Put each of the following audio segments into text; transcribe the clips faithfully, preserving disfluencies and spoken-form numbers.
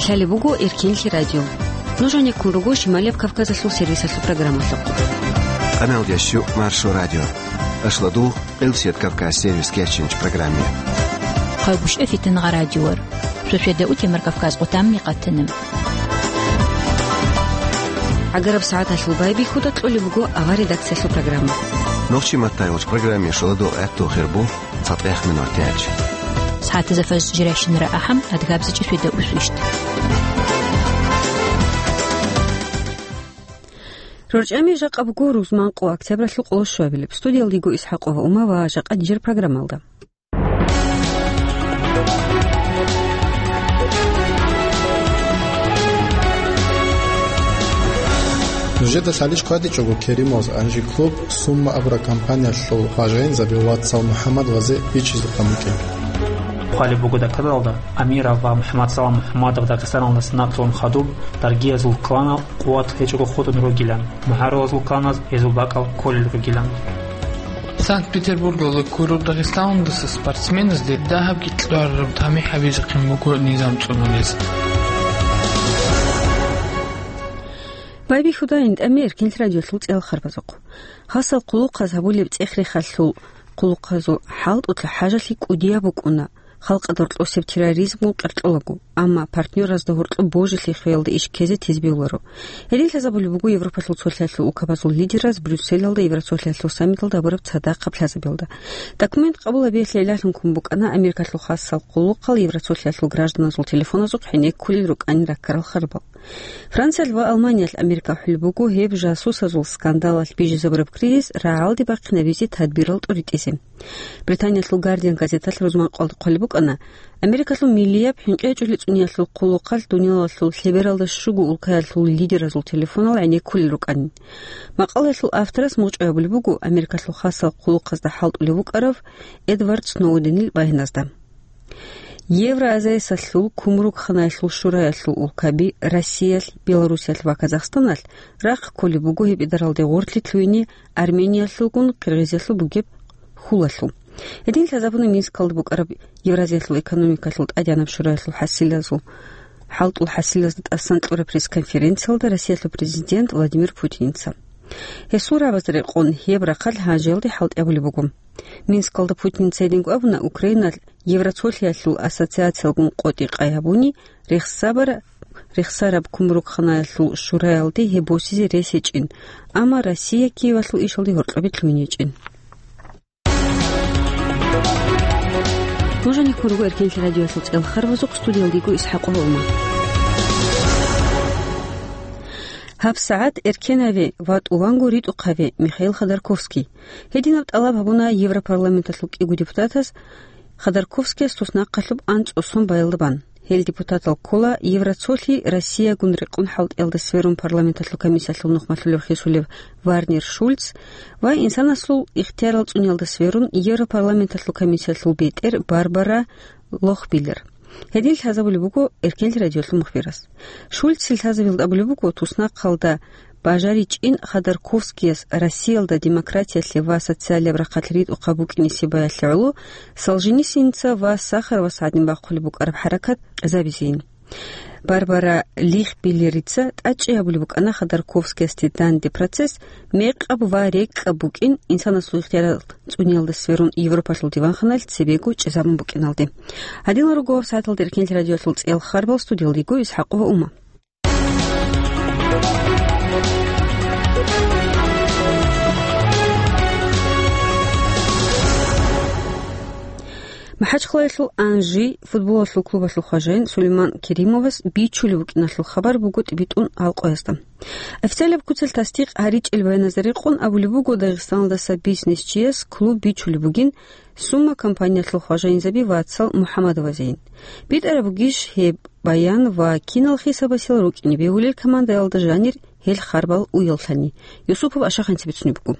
Лъалеб буго Эркенлъи радио. Нуж гьанеккун руго Шималияб Кавказалъул сервисалъул программалъухъ. Къаналдияс щу Маршо радио. Ашладу Къилсият Кавказ сервис кечинч программе. Хъайгуща фитнагъа радиор. Шошеда утемар Кавказ къутамми къатана. ГӀагараб сагӀаталъул байбихьуда кьолеб буго авар редакциялъул программа. Нохчи маттай уч программе шоладу гӀатту хирбу. ЦатӀех минутач. СагӀатазда фажр жирайщинара ахӀам, адгабзачӀи свида усвищт. РорчӀами жакъа буго рузманкъо октябралъул къоло щуабилеб. Студиялдиго Исхакова Ума ва жакъа дижер программалда. Нужеда лъалищ кквадичӀого Керимовас Анжи клуб Сумма абураб компаниялъул хважаинзаби вацал МухӀаммад вазе бичизухъан букӀин. Хъвалеб буго даккадалда, Амиров ва МухӀаммадсалам МухӀаммадов Дагъистаналда санатлъун хадуб даргиязул кланал къуват гьечӀого хутӀун ругилан, мугьарулазул кланаз гьезул бакӀал кколел ругилан. Санкт-Петербургалда ккураб Дагъистаналдаса спортсменазде дагьабги кьвараб тамихӀ гьабизехъин буго низам цӀунулез. Байбихьуда, гьитӀами Эркенлъи радиолъул цӀеял харбазухъ. Хасал хъулухъаз гьабулеб цӀех-рехалъул хъулухъазул хӀалтӀулъа хӀажалъи кӀудияб букӀуна, халкъалда гьоркьосеб терроризмгун къеркьолаго, амма партнёразда гьоркьоб божилъи хвеялда иш ккезе тезбевларо. Гьедин лъазабулеб буго Европалъул цолъиялъул улкабазул лидераз Брюсселалда Евроцолъиялъул саммиталда гьабураб цадахъаб лъазабиялда. Документ къабул гьабиялъе гӀиллалъун ккун букӀана Америкалъул хасал хъулухъал Евроцолъиялъул гражданазул телефоназухъ гӀенеккулел рукӀанин раккарал харбал. Франциялъ ва Алманиялъ Америка хъулеб буго гьеб жасусазул скандалалъ бижизабураб кризис рагӀалде бахъинабизе тадбирал тӀуритӀизе. Британиялъул Гардиан газеталъ рузман къвалда хъвалеб букӀана, Америкалъул миллияб хӀинкъи гьечӀолел цӀуниялъул хъулухъалъ дуниялалъул лъебералда щуго улкаялъул лидеразул телефонал гӀенеккулел рукӀанин. Макъалаялъул авторас мугъчӀвай гьабулеб буго Америкалъул хасал хъулухъазда хӀалтӀулев вукӀарав Эдвард Сноуденил багьиназда. Евроазиасалъул кумрукханаялъул шураялъул улкаби Россиялъ, Белоруссиялъ ва Казахстаналъ рахъ кколеб буго гьеб идаралде гъорлъи лъугьине Армениялъулгун Къиргъизиялъул бугеб хьулалъул. Гьедин лъазабуна Минскалда букӀараб Евразиялъул экономикалъул тӀадегӀанаб шураялъул хӀасилазул хӀалтӀул хӀасилазда тӀасан кьураб пресс-конференциялда Россиялъул президент Владимир Путинца. Гьесул рагӀабазда рекъон гьеб рахъалъ гьанжеялде хӀалтӀи гьабулеб буго. Минскалда Путинца гьединго абуна, Украиналъ Евроцолъиялъул ассоциациялгун къотӀи къай гьабуни, рехсабара-, рехсараб кумрукханаялъул шураялде гьеб босизе рес гьечӀин, амма Россия Киевалъул ишалде гьоркьобе лъугьин гьечӀин. Нуж гьанеккун руго Эркенлъи радиоялъул цӀеял харбазухъ, студиялдиго Исхакова Ума. ГьабсагӀат эркенаве ва тӀуванго ритӀухъаве Михаил Ходорковский. Гьединаб тӀалаб гьабуна Европарламенталъул кӀиго депутатас Ходорковскияс туснахъалъуб анцӀго сон баялда бан. Гьел депутатал ккола Евроцолъи Россиягун рекъон хӀалтӀиялда сверун парламенталъул комиссиялъул нухмалъулев хисулев Вернер Шульц ва инсанасул ихтиярал цӀуниялда сверун Европарламенталъул комиссиялъул бетӀер Барбара Лохбиллер. Гьедин лъазабулеб буго Эркенлъи радиолъул мухбирас. Шульцил лъазабилда абулеб буго, туснахъалда бажаричӀин Ходорковскияс Россиялда демократиялъе ва социалияб рахъалъе ритӀухъаб букӀине себ баялъе гӀоло Солженицынца ва Сахаровас гӀадин бахъулеб букӀараб хӀаракат къезабизейин. Барбара Лихбиллерица тӀадчӀей гьабулеб букӀана Ходорковскиясде данде процесс, мекъаб ва рекӀкӀаб букӀин, инсанасул ихтиярал цӀуниялда сверун Европалъул диванханалъ цебего чӀезабун букӀиналде. Гьадинал руго сагӀаталда Эркенлъи радиоялъул цӀеял харбал, студиялдиго Исхакова Ума. МахӀачхъалаялъул Анжи футболалъул клубалъул хважаин Сулейман Керимовас бичулеб букӀиналъул хабар буго тӀибитӀун гьалкъоязда. Официалаб куцалъ тасдикъ гьаричӀел баяназда рекъон абулеб буго, Дагъистаналдаса бизнесчияс клуб бичулеб бугин, Сумма компаниялъул хважаинзаби вацал МухӀаммадовазейин. БитӀараб бугищ гьеб баян ва кинал хисабасел рукӀине бегьулел командаялда жанир гьел харбал уяллъани? Юсупов Ашаханца бицунеб буго.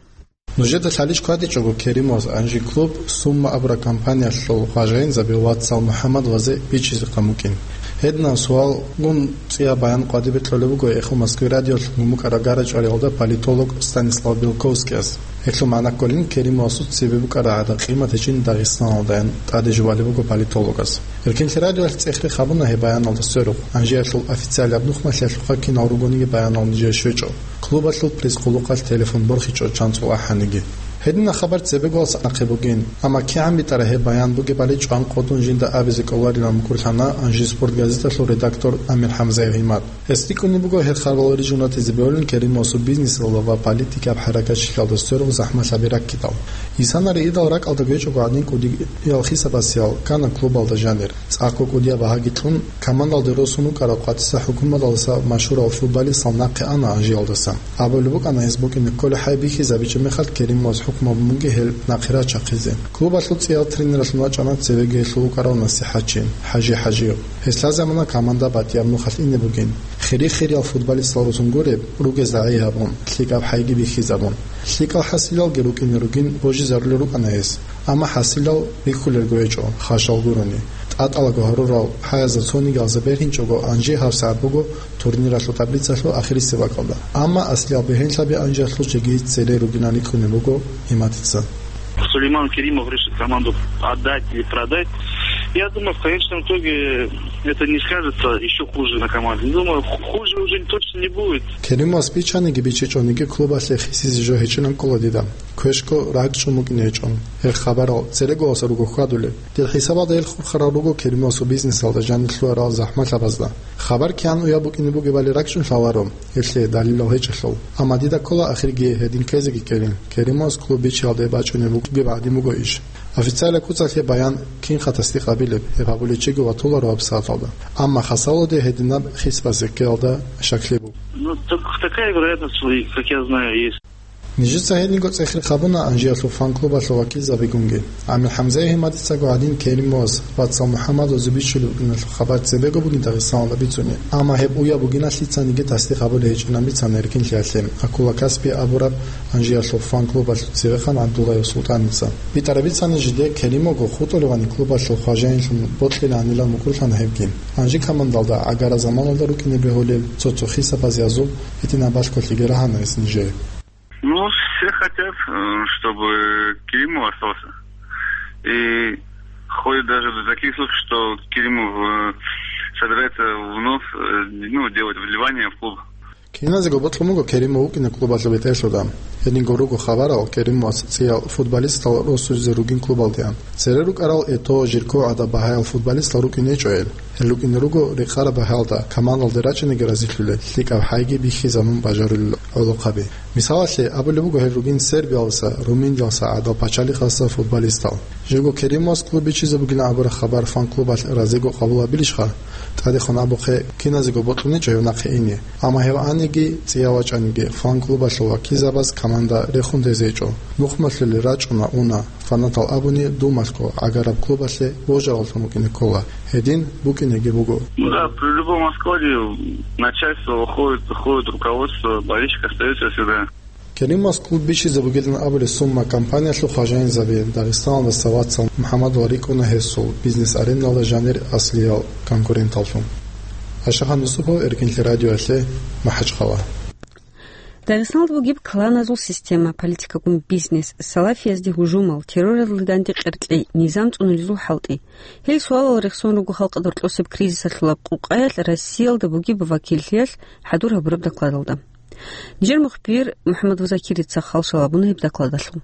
Нужеда лъалищ кквадичӀого Керимовас Анжи клуб Сумма абураб компаниялъул хважаинзаби вацал МухӀаммад вазе бичизехъан букӀин. Гьединаб суалгун цӀияб баян къватӀибе кьолеб буго эхо Москваялъ гьуниб букӀараб гара-чӀвариялда политолог Станислав Белковскияс. Гьелъул магӀна кколин, Керимовасул цебе букӀараб гӀадан къимат гьечӀин Дагъистаналдаян тӀаде жубалеб буго политологас. Эркинлъи радиоялъ цӀехере гьабуна гьеб баяналда сверухъ, Анжиялъул официалаб нухмалъиялъухъа кинал ругониги баянал нижее щвечӀо. Клубалъул пресс-къулухъалъ телефон борхичӀо чанцӀул ахӀаниги. Гьединаб хабар цебеголаса нахъе бугин, амма кигӀан битӀараб гьеб баян бугебали чӀван къотӀун жинда абизе кӀоларилан букӀурлъана Анжи спорт газеталъул редактор Амир ХӀамзаев ГӀимад. Гьес рикӀкӀунеб буго гьеб хабар рижунатизе бегьулин Керимовасул бизнесалда ва политикияб хӀаракатчилъиялда сверухъ захӀмалъаби раккидал. Исанаре идал ракӀалда гьечӀого гӀадин кӀудиял хисабасеял ккана клубалда жанир. ЦӀакъго кӀудияб багьаги кьун, командалде росун вукӀарал къватӀиса хӀукуматалдаса машгьурал футболистал нахъе ана Анжиялдаса. Абулеб букӀана гьес букӀине кколеб хӀай бихьизабичӀеб мехалъ Керимовас хӀукму гьабун бугин гьел нахъе рачахъизе. Клубалъул цӀиял тренералъул вачӀана цевеги гьелъул вукӀарав НасихӀатчи ХӀажи ХӀажиев. Гьес лъазабуна команда батӀияб нухалъ ине бугин. Хири-хириял футболистал росун гуреб, ругезда гӀей гьабун, лъикӀаб хӀайги бихьизабун. ЛъикӀал хӀасилалги рукӀине ругин божизарулел рукӀана гьес. Амма хӀасилал бихьулелго гьечӀо, хашал гурони. ТӀатӀалаго гьарурал хӀаязда цонигиялдаса бергьинчӀого Анжи гьабсагӀат буго турниралъул таблицалъул ахирисеб бакӀалда. Амма аслиял бегьенлъаби Анжиялъул жеги цере ругилан рикӀкӀунеб буго ГӀимадица. Сулейман Керимов решит команду отдать или продать. Я думаю, в конечном итоге это не скажется ещё хуже на команде. Думаю, ху-, хуже уже точно не будет. Керимовас бичаниги бичичӀониги клубалъе хисизе жо гьечӀилан ккола дида. Квешго ракӀчӀун букӀине гьечӀо гьеб хабарал, цереголаса руго хьвадулеб. Дир хӀисабалда гьел хурхарал руго Керимовасул бизнесалда жанир лъугьарал захӀмалъабазда. Хабар кигӀан уяб букӀине бугебали ракӀчӀун лъаларо, гьелъие далилал гьечӀелъул. Амма дида ккола ахирги гьедин ккезеги ккелин, Керимовас клуб бичиялде бачӀунеб бугеб гӀадин буго иш. Официалаб куцалъе баян кинха тасдикъ гьабилеб, гьеб гьабулев чиги ватуларо гьаб сагӀаталда. Амма хасалоде гьединаб хисбазе ккеялда щаклъи буго. Ну, так-, такая вероятность, как я знаю, есть. Нижеца гьединго цӀехере гьабуна Анжиялъул фан-клубалъул вакилзабигунги. Амир ХӀамзаев ГӀимадицаго гӀадин Керимовас вацал МухӀаммадовзул бичулеб букӀиналъул хабар цебего бугин Дагъистаналда бицунеб. Амма гьеб уяб бугиналъицаниги тасдикъ гьабулеб гьечӀилан бицана Эркинлъиялъе Акула Каспи абураб Анжиялъул фан-клубалъул цевехъан ГӀабдуллаев Султаница. БитӀараб бицани жиде Керимовго хутӀулевани клубалъул хважаинлъун бокьилаанилан мукӀурлъана гьебги. Анжи командалда гӀагара заманалда рукӀине бегьулел цо-цо хисабазеязул гьитӀинаб балъголъиги рагьана гьес нижее. Ну, все хотят, э, чтобы Керимов остался. И ходит даже до таких слухов, что Керимов, э, собирается вновь, э, ну, делать вливание в клуб. Киназего бокьун буго Керимов вукӀине клубалъул бетӀерлъуда. Гьединго руго хабарал Керимовас цӀиял футболистал росулъизе ругин клубалдеян. Цере рукӀарал Это, Жирко гӀадаб багьаял футболистал рукӀине гьечӀо гьел. Гьел рукӀине руго рекъараб багьаялда, командалде рачӀинеги разилъулел, лъикӀаб хӀайги бихьизабун бажарулел гӀолохъаби. Мисалалъе, абулеб буго гьел ругин Сербиялдаса, Румыниялдаса гӀадал пачалихъалдаса футболистал. Живго Керимовас клуб бичизе бугилан абураб хабар фан-клубалъ разиго къабул гьабилищха? ТӀадехун абухъе, киназего бокьун гьечӀо гьев нахъе ине. Амма гьев аниги, цӀия вачӀаниги, фан-клубалъул вакилзабаз команда рехун тезе гьечӀо. Нухмалъулел рачӀуна, уна. Фанатал абуни, думалъго, гӀагараб клубалъе божараллъун вукӀине ккола. Гьедин букӀинеги буго. Ну да, при любом раскладе начальство уходит, уходит руководство, болельщик остаётся всегда. Керимовас клуб бичизе бугилан абулеб сумма компаниялъул хважаинзаби Дагъистаналдаса вацал МухӀаммадал рикӀкӀуна гьесул бизнес-ареналда жанир аслиял конкуренталлъун. Ашахан Юсупов, Эркинлъи радиоялъе, МахӀачхъала. Дагъистаналда бугеб кланазул система, политикагун бизнес, салафиязде гьужумал, терроралде данде къеркьей, низам цӀунулезул хӀалтӀи. Гьел суалал рехсон руго халкъалда гьоркьосеб кризисалъулаб къукъаялъ Россиялда бугеб вакиллъиялъ хӀадур гьабураб докладалда. Нижер мухбир МухӀаммад Закирица хал шалабуна гьеб докладалъул.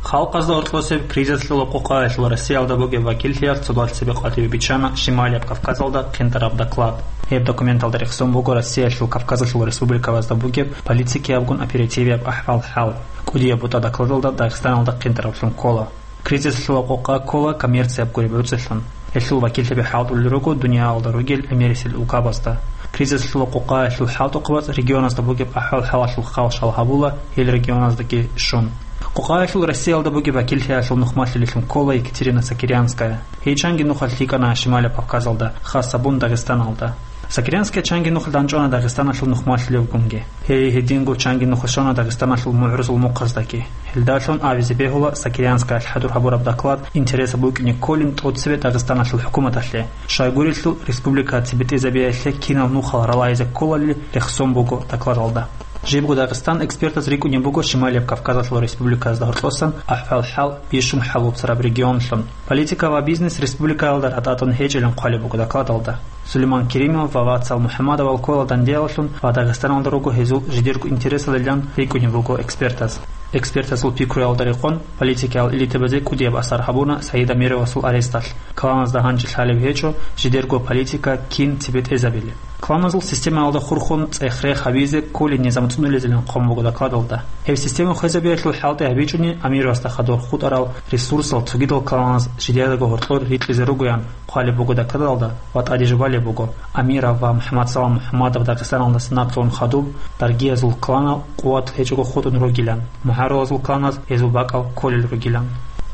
Халкъазда гьоркьосеб кризисалъулаб къукъаялъул Россиялда бугеб вакиллъиялъ цодал цебе къватӀибе биччана Шималияб Кавказалда хъинтӀараб доклад. Гьеб документалда рехсон буго Россиялъул Кавказалъул республикабазда бугеб политикиябгун оперативияб ахӀвал-хӀал. КӀудияб бутӀа докладалда Дагъистаналда хъинтӀараблъун ккола. Кризисалъулаб къукъа ккола коммерцияб гуреб гӀуцӀралъун. Гьелъул вакиллъиби хӀалтӀулел руго дуниялалда ругел гӀемерисел улкабазда. Кризисалъулаб къукъаялъул хӀалтӀухъабаз регионазда бугеб ахӀвал-хӀалалъул хал шал гьабула гьел регионаздаги щун. Къукъаялъул Россиялда бугеб вакиллъиялъул нухмалъилелъун ккола Екатерина Сокирянская. Гьей чанги нухалъ лъикӀана Шималияб Кавказалда, хасабун Дагъистаналда. Сокирянская чанги нух дандчӀвана Дагъистаналъул нухмалъулевгунги. Гьей гьединго чанги нух щвана Дагъистаналъул мугӀрузул мухъаздаги. Гьелдалъун абизе бегьула Сокирянскаялъ хӀадур гьабураб доклад интересаб букӀине кколин тӀоцебе Дагъистаналъул хӀукуматалъе, щайгурелъул республика цебетӀезабиялъе кинал нухал ралайзе кколали рехсон буго докладалда. Жибго Дагъистан экспертаз рикӀкӀунеб буго Шималияб Кавказалъул республиказда гьоркьосан ахӀвал-хӀал бищун хӀалуцараб регионлъун. Политика ва бизнес республикаялда ратӀатӀун гьечӀилан хъвалеб буго докладалда. Сулейман Керимов ва Вацал МухӀаммадовал ккола дандеялъун ва Дагъистаналда руго гьезул жидерго интересалилан рикӀкӀунеб буго экспертаз. Экспертазул пикруялда рекъон, политикиял элитабазе кӀудияб асар гьабуна Саид Амировасул аресталъ. Кланазда гьанже лъалеб гьечӀо жидерго политика кин цебетӀезабилеб. Кланазул системаялда хурхун цӀех-рех гьабизе кколин низам цӀунулезилан хъван буго докладалда. Гьеб система хвезабиялъул хӀалтӀи гьабичӀони Амировасда хадур хутӀарал ресурсал цогидал кланаз жидедаго гьоркьор рикьизе ругоян хъвалеб буго докладалда ва тӀаде жубалеб буго, Амиров ва МухӀаммадсалам МухӀаммадов Дагъистаналдаса нахъе ун хадуб даргиязул кланал къуват гьечӀого хутӀун ругилан, мугӀарулазул кланаз гьезул бакӀал кколел ругилан.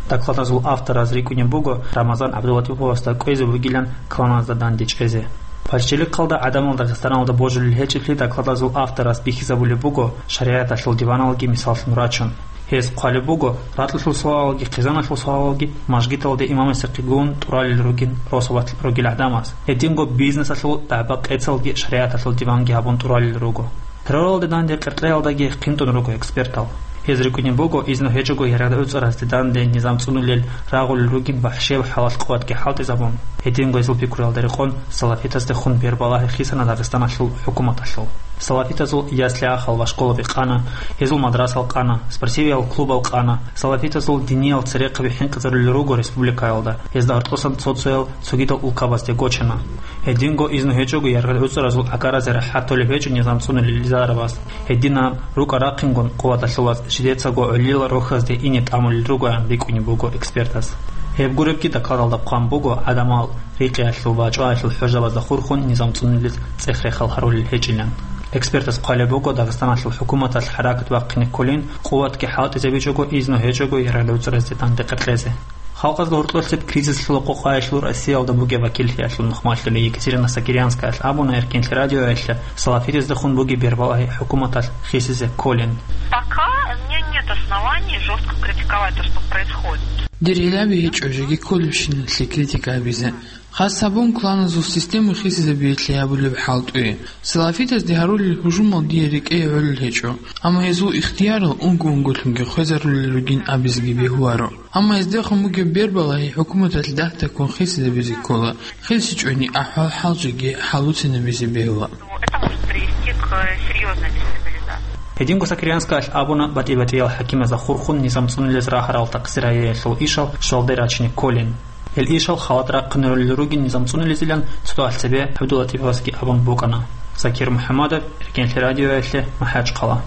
Докладазул автораз рикӀкӀунеб буго Рамазан ГӀабдулатиповасда кӀвезе бугилан кланазда данде чӀезе. Пачелихъалда гӀадамал Дагъистаналда божулел гьечӀеблъи докладазул авторас бихьизабулеб буго шаригӀаталъул диваналги мисаллъун рачун. Гьез хъвалеб буго, ракьалъул суалалги хъизаналъул суалалги мажгиталде имамасехъе гун тӀуралел ругин росабалъ ругел гӀадамаз, гьединго бизнесалъул дагӀба-къецалги шаригӀаталъул диванги гьабун тӀуралел руго. Терроралде данде къеркьеялдаги хъинтӀун руго экспертал. Гьез рикӀкӀунеб буго, изну гьечӀого яргъад гӀуцӀаразде данде низам цӀунулел рагъулел ругин вахӀшияб хӀалалъ къуватги хӀалтӀизабун. Гьединго гьезул пикруялда рекъон салафитаздехун бербалагьи хисана Дагъистаналъул хӀукуматалъул. Салафитазул ясли-ахал ва школаби къана, гьезул мадрасал къана, спортивиял клубал къана, салафитазул диниял церехъаби хӀинкъизарулел руго республикаялда, гьезда гьоркьосан цо-цоял цогидал улкабазде гочана. Гьединго изну гьечӀого яргъад гӀуцӀаразул агаразе рахӀат толеб гьечӀо низам цӀунулел изарабаз. Гьединаб рукӀа-рахъингун къуваталъулаз жидецаго гӀолила рохьазде ине тӀамулел ругоян рикӀкӀунеб буго экспертаз. Гьеб гуребги докладалда хъван буго гӀадамал рикъиялъул ва чӀваялъул хӀужабазда хурхун низам цӀунулез цӀех-рехал гьарулел гьечӀилан. Экспертаз хъвалеб буго Дагъистаналъул хӀукуматалъ хӀаракат бахъине кколин, къуватги хӀалтӀизабичӀого, изну гьечӀого яргъад гӀуцӀаразде данде къеркьезе. Халкъазда гьоркьорлъеб кризислъула къокъаялъул Россиялда бугеб вакиллъиялъул нухмалъула Екатерина Сокирянскаялъ абуна Эркенлъи радиоялъе салафитаздехун бугеб бербалагьи хӀукуматалъ хисизе кколин. Пока у меня нет оснований жёстко критиковать то, что происходит. Дир гӀилаби гьечӀо жеги кколебщиналъе критика гьабизе. Хас гьабун, кланазул система хисизабиялъе гьабулеб хӀалтӀи. Салафитазде гьарулел гьужумал дие рекӀее гӀолел гьечӀо, амма гьезул ихтиярал унго-унголъунги хвезарулел ругин абизеги бегьуларо. Амма гьездехун бугеб бербалагьи хӀукуматалъ дагь-такун хисизабизе ккола, хисичӀони ахӀвал-хӀал жеги хӀалуцинабизе бегьула. Это может привести к серьёзной дестабилизации. Гьединго Сокирянскаялъ абуна батӀи-батӀиял хӀакимазда хурхун низам цӀунулез рагьарал такъсир гьаялъул ишал щвалде рачине кколин. Гьел ишал халат рахъине ролел ругин низам цӀунулезилан цо-цо гьалцебе ГӀабдулатиповасги абун букӀана. Закир МухӀаммадов, Эркенлъи радиоялъе, МахӀачхъала.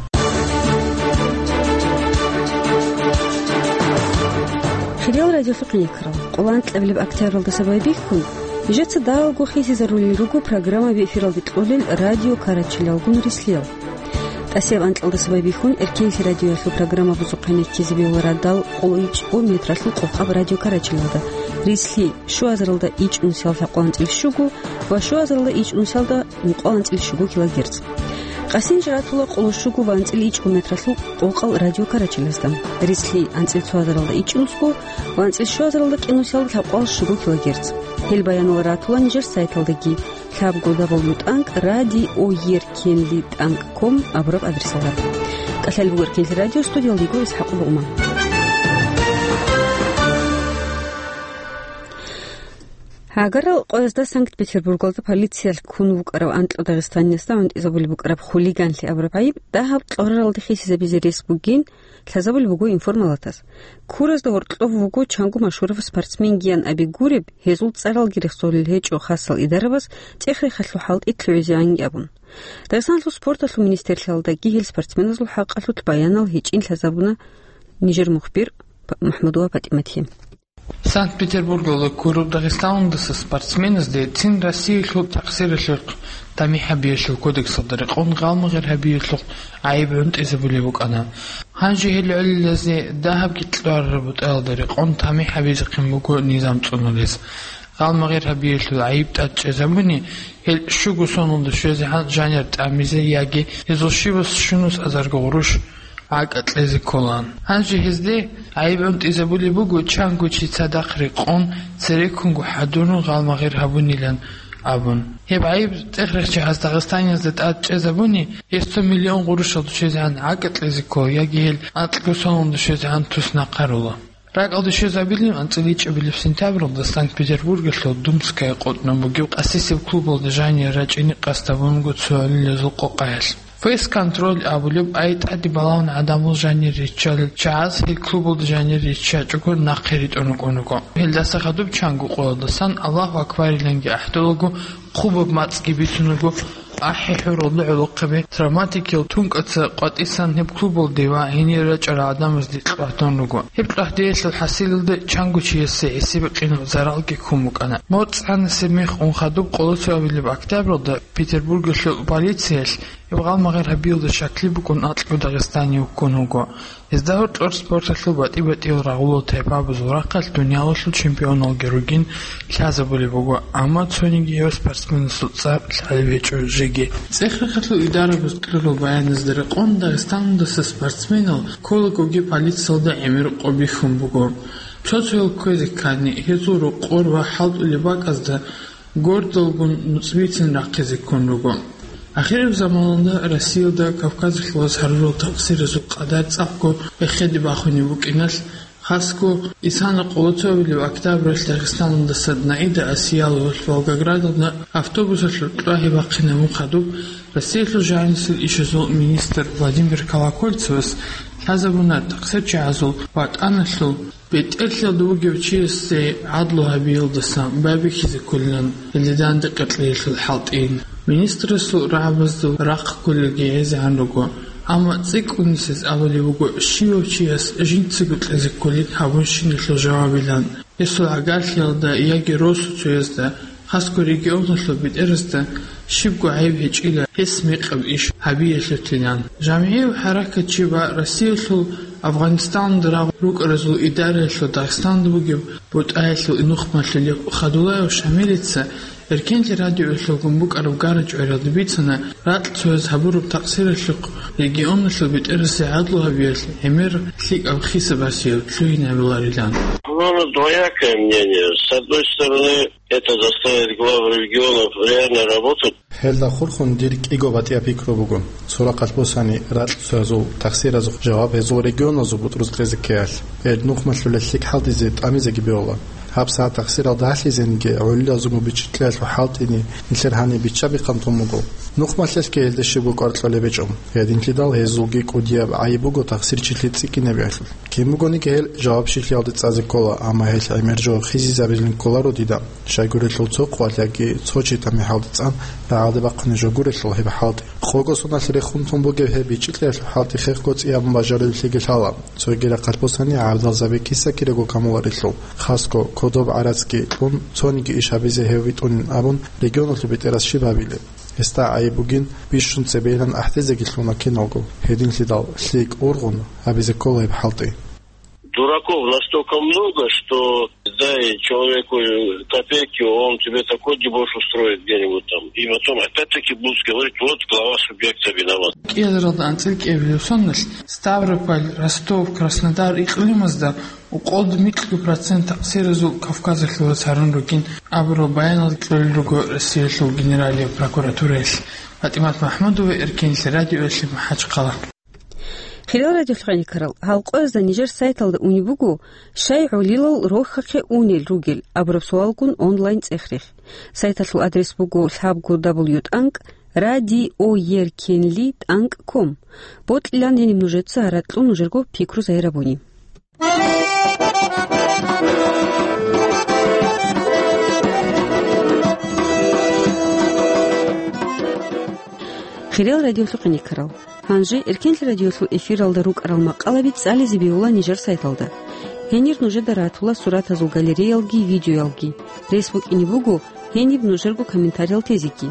Хириял радиолъухъин икрам, къоло анкьабилеб октябралдаса байбихьун, нижеца далго хисизарулел руго программаби эфиралде кьолел радио карачилалгун рислъел. ТӀасияб анкьалдаса байбихьун Эркенлъи радиоялъул программа бузухъене ккезе бегьула радал къоло ичӀго метралъул къокъаб радио карачилалда, рислъи, щуазаралда ичӀнусиялда лъабкъоялда анцӀил щуго ва щуазаралда ичӀнусиялда ункъоялда анцӀил щуго килогерц. Къасин жратула къоло щуго ва анцӀил ичӀго метралъул къокъал радио карачилазда, рислъи, анцӀил цоазаралда ичӀнусго ва анцӀил щуазаралда кӀинусиялда лъабкъоялда щуго килогерц. Гьел баянал ратула нижер сайталдаги, лъабго дабл ю тӀанкӀ радио еркенли тӀанкӀ ком абураб адресалда. КӀалъалеб буго Эркенлъи радио, студиялда йигур ИсхӀакъ Лугьман. Гьагарал къоязда Санкт-Петербургалда полициялъ ккун вукӀарав анкьа дагъистаниясда гӀунтӀизабулеб букӀараб хулиганлъи абураб гӀайиб дагьаб кьвараралде хисизабизе рес бугин лъазабулеб буго информалатас. Куразда гьоркьов вуго чанго машгьурав спортсмен Гиян Абигуреб, гьезул цӀаралги рехсолел гьечӀо хасал идарабаз цӀех-рехалъул хӀалтӀи лъугӀизегӀанги абун. Дагъистаналъул спорталъул министрлъиялдаги гьел спортсменазул хӀакъалъулъ баянал гьечӀин лъазабуна нижер мухбир П-, МухӀмадова ПатӀиматги. Санкт-Петербургалда ккураб Дагъистаналдаса спортсменазде цин Россиялъул такъсиралъухъ тамихӀ гьабиялъул кодексалда рекъон гъалмагъир гьабиялъухъ гӀайиб гӀунтӀизабулеб букӀана. Гьанже гьел гӀолилазе дагьабги кьварараб бутӀаялда рекъон тамихӀ гьабизехъин буго низам цӀунулез. Гъалмагъир гьабиялъул гӀайиб тӀад чӀезабуни, гьел щуго соналда щвезегӀан жанир тӀамизе яги гьезул щибас щунус азарго гъурущ гӀакӀа кьезе кколаан. Гьанже гьезде гӀайиб гӀунтӀизабулеб буго, чанго чи цадахъ рекъон, цереккунго хӀадурун гъалмагъир гьабунилан абун. Гьеб гӀайиб цӀехрехчагьаз Дагъистаниязда тӀад чӀезабуни, гьес цо миллион гъурущалда щвезегӀан гӀакӀа кьезе ккола яги гьел анкьго соналда щвезегӀан туснахъарула. РакӀалде щвезабилин анцӀила ичӀабилеб сентябралда Санкт-Петербургалъул Думская къотӀнаб бугеб къасисеб клубалда жанир рачӀине къасд гьабун буго цо гӀолилазул къокъаялъ. Фейс-контроль абулеб ай тӀаде балагьун гӀадамал жанир риччалел чагӀаз гьел клубалда жанир риччачӀого нахъе ритӀун рукӀун руго. Гьелдаса хадуб чанго къоялдасан Аллагьу акбариланги ахӀдолаго хъубаб мацӀги бицун руго, ахӀи-хӀуралда гӀолохъаби, травматикиял тункӀаца къватӀисан гьеб клубалде ва гьенир рачӀарал гӀадамазде кьватун руго. Гьеб кьвагьдеялъул хӀасилалда чанго чиясе гӀисиб-къинаб заралги ккун букӀана. МоцӀ-гьанасеб мех ун хадуб къоло цоабилеб октябралда Петербургалъул полициялъ гьеб гъалмагъир гьабиялда щаклъи букӀун анкьго дагъистанияв ккун вуго. Гьезда гьоркьор спорталъул батӀи-батӀиял рагъулал тайпабазул рахъалъ дуниялалъул чемпионалги ругин лъазабулеб буго, амма цониги гьев спортсменасул цӀар лъалеб гьечӀо жеги. ЦӀехрехалъул идарабаз кьурал баяназда рекъон, Дагъистаналдаса спортсменал кколагоги полициялда гӀемер къо бихьун буго. Цо-цоял кквезе ккани, гьезул рокъор ва хӀалтӀулеб бакӀазда гордалгун нуцӀбицин рахъизе ккун руго. Ахираб заманалда Россиялда Кавказалъуваз гьарурал такъсиразул къадар цӀакъго эхеде бахунеб букӀиналъ, хасго исана къоло цоабилеб октябралъ Дагъистаналдаса Наида Асияловалъ Волгоградалда автобусалъул кьвагьи бахъинабун хадуб Россиялъул жагьилсил ишазул министр Владимир Колокольцевас лъазабуна такъсирчагӀазул ватӀаналъул бетӀерлъиялда вугев чиясе гӀадлу гьабиялдасан байбихьизе кколилан гьелде дандекъи кьеялъул хӀалтӀи. Министрасул рагӀабазда рахъ кколелги гӀезегӀан руго, амма цӀикӀкӀун нилъеца абулеб буго, щивав чияс жинцаго кьезе кколин гьабунщинелъул жавабилан. Гьесул гӀагарлъиялда яги росуцоязда, хасго регионалъул бетӀерасда щибго гӀайиб гьечӀила гьес мекъаб иш гьабиялъулъилан. ЖамгӀияв хӀаракатчи ва Россиялъул Афгъанистанда рагъ рукӀаразул идараялъул Дагъистанда бугеб бутӀаялъул нухмалъулев Хадулаев Шамилица Эркенлъи радиоялъулгун букӀараб гара-чӀвариялда бицана, ракьцояз гьабураб такъсиралъухъ регионалъул бетӀерасе гӀадлу гьабиялъ гӀемер лъикӀаб хисаб басиялъ лъугьинабуларилан. Ну, оно двоякое мнение. С одной стороны, это заставит глав регионов реально работать. Гьелда хурхун дир кӀиго батӀияб пикру буго. Цо рахъалъ босани, ракьцоязул такъсиразухъ жаваб гьезул регионазул бутӀруз кьезе ккеялъ, гьел нухмалъулел лъикӀ хӀалтӀизе тӀамизеги бегьула. ГьабсагӀат такъсиралда гьалъизенги гӀолилазулго бичӀчӀи кьеялъул хӀалтӀини нилъер гьаниб биччаби хъантун буго. Нухмалъелъги гьелде щибго кӀвар кьолеб гьечӀо. Гьединлъидал гьезулги кӀудияб гӀайиб буго такъсирчилъи цӀикӀкӀинабиялъул. Кин бугониги гьел жавабчилъиялде цӀазе ккола, амма гьелъ гӀемер жо хизизабилин кколаро дида. Щайгурелъул цо хъвалъ яги цо чи тӀамихӀалде цӀан рагӀалде бахъине жо гурелъул гьеб хӀалтӀи. Хъого соналъ рехун тун бугеб гьеб бичӀчӀи кьеялъул хӀалтӀи хехго цӀиябун бажарулеблъиги лъала. Цоги рахъалъ босани гӀабдал Забе киса кираго камуларелъул, хасго кодоб гӀарацги кьун, цониги иш гьабизе гьев витӀунин абун, регионалъул бетӀерас щиб гьабилеб? Гьесда гӀайиб бугин, бищун цебейилан ахӀдезеги лъуна киналго. Гьединлъидал лъикӀ ургъун гьабизе ккола гьеб хӀалтӀи. Дураков настолько много, что дай человеку копейки, он тебе такой дебош устроит где-нибудь там. И потом опять-таки будут говорить: «Вот глава субъекта виноват». КӀиазаралда анцӀил кӀиабилеб соналъ Ставрополь, Ростов, Краснодар икълимазда укъолда микьго процент такъсиразул Кавказалъуваз гьарун ругин абураб баянал кьолел руго Россиялъул Генералияб прокуратураялъ. ПатӀимат МахӀмудова, Эркенлъи радиоялъе, МахӀачхъала. Хириял радиолъухъеникарал, гьал къоязда нижер сайталда унеб буго, щай гӀолилал рохьахъе унел ругел абураб суалгун онлайн цӀех-рех. Сайталъул адрес буго лъабго дабл ю тӀанкӀ радиоеркенли тӀанкӀ ком. Бокьилан гьениб нужеца гьаракьлъун нужерго пикру загьир гьабуни. Хириял радиолъухъеникарал. Гьанже Эркенлъи радиолъул эфиралда рукӀарал макъалаби цӀализе бегьула нижер сайталда. Гьенир нужеда ратула суратазул галереялги видеоялги. Рес букӀине буго гьениб нужерго комментариял тезеги.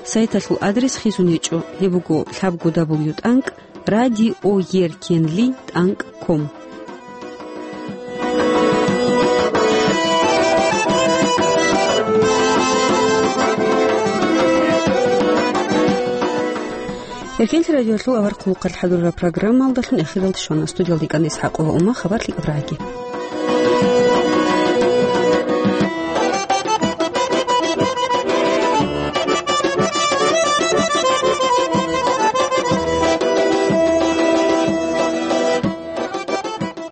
Сайталъул адрес хисун гьечӀо, гьеб буго лъабго дабл ю тӀанкӀ радиоеркенли тӀанкӀ ком. Эркенлъи радиолъул авар хъулухъалъ хӀадурараб программалдалъун эхиралде щвана. Студиялда икӀана ИсхӀакъова Ума, хабар лъикӀаб рагӀаги.